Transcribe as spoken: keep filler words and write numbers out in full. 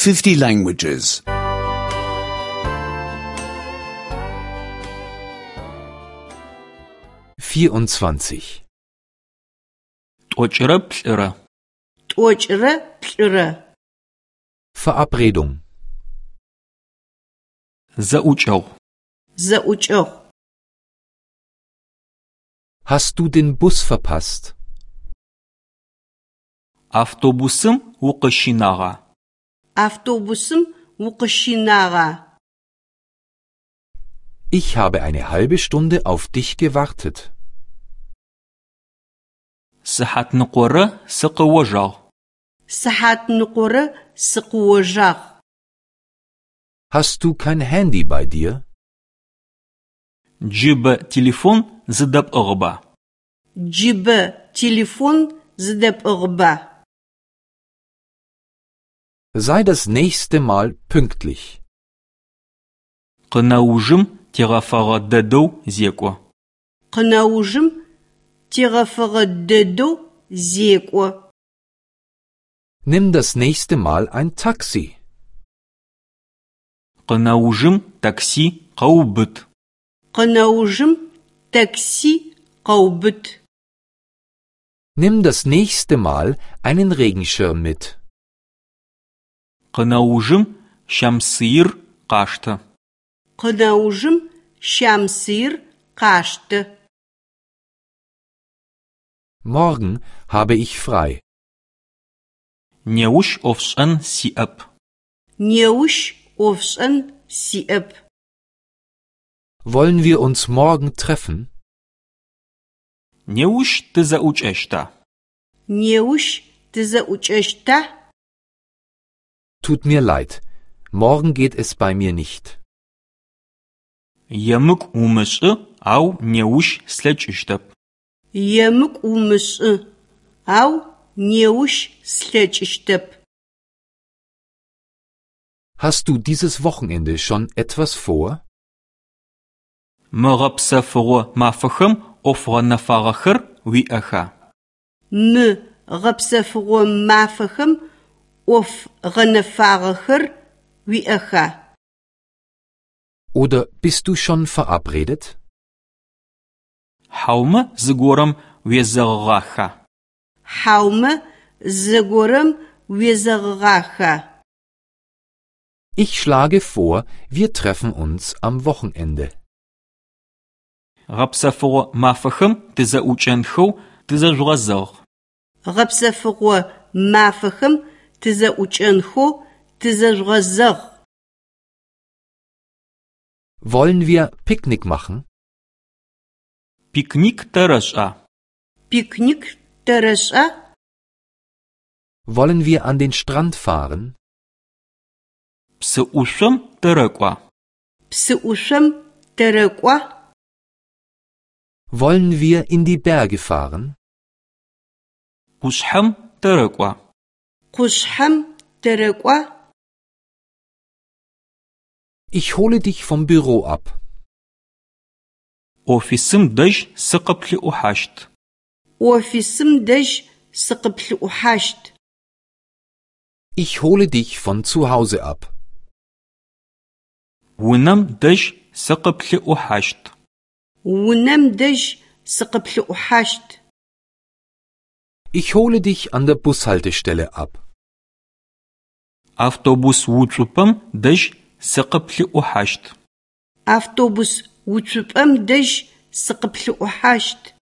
fifty languages. vierundzwanzig Тӏокӏырэ плӏырэ. Тӏокӏырэ плӏырэ. Verabredung. Зэӏукӏэгъу. Зэӏукӏэгъу. Hast du den Bus verpasst? Автобусым укъыщинагъа? Автобусым укъыщинагъа? Ich habe eine halbe Stunde auf dich gewartet. Сыхьатныкъорэ сыкъыожагъ. Сыхьатныкъорэ сыкъыожагъ. Hast du kein Handy bei dir? Джыбэ телефон зыдэпӏыгъыба? Джыбэ телефон зыдэпӏыгъыба? Sei das nächste Mal pünktlich. Къынэужым тегъэфэгъэ дэдэу зекӏо. Къынэужым тегъэфэгъэ дэдэу зекӏо. Nimm das nächste Mal ein Taxi. Къынэужым такси къэубыт. Къынэужым такси къэубыт. Nimm das nächste Mal einen Regenschirm mit. Къынэужым щамсыир къаштэ. Къынэужым щамсыир къаштэ. Morgen habe ich frei. Неущ ӏофшӏэн сиӏэп. Неущ ӏофшӏэн сиӏэп. Wollen wir uns morgen treffen? Неущ тызэӏукӏэщта? Неущ тызэӏукӏэщта? Tut mir leid, morgen geht es bei mir nicht. Емыкӏу умышӏы, ау неущ слъэкӏыщтэп. Емыкӏу умышӏы, ау неущ слъэкӏыщтэп. Hast du dieses Wochenende schon etwas vor? Мы гъэпсэфыгъо мафэхэм ӏоф гъэнэфагъэхэр уиӏэха? Мы гъэпсэфыгъо мафэхэм ӏоф гъэнэфагъэхэр уиӏэха? Oder bist du schon verabredet? Хьаумэ зыгорэм уезэгъыгъаха? Хьаумэ зыгорэм уезэгъыгъаха? Ich schlage vor, wir treffen uns am Wochenende. Гъэпсэфыгъо мафэхэм тызэӏукӏэнхэу тызэжъугъэзэгъ. Гъэпсэфыгъо мафэхэм тызэӏукӏэнхэу тызэжъугъэзэгъ. Wollen wir Picknick machen? Пикник тэрэшӏа? Пикник тэрэшӏа? Wollen wir an den Strand fahren? Псы ӏушъом тэрэкӏуа? Псы ӏушъом тэрэкӏуа? Wollen wir in die Berge fahren? Къушъхьэм тэрэкӏуа? Къушъхьэм тэрэкӏуа? Ich hole dich vom Büro ab. Офисым дэжь сыкъыплъыӏухьащт. Офисым дэжь сыкъыплъыӏухьащт. Ich hole dich von zu Hause ab. Унэм дэжь сыкъыплъыӏухьащт. Унэм дэжь сыкъыплъыӏухьащт. Ich hole dich an der Bushaltestelle ab. Автобус уцупӏэм дэжь сыкъыплъыӏухьащт. Автобус уцупӏэм дэжь сыкъыплъыӏухьащт.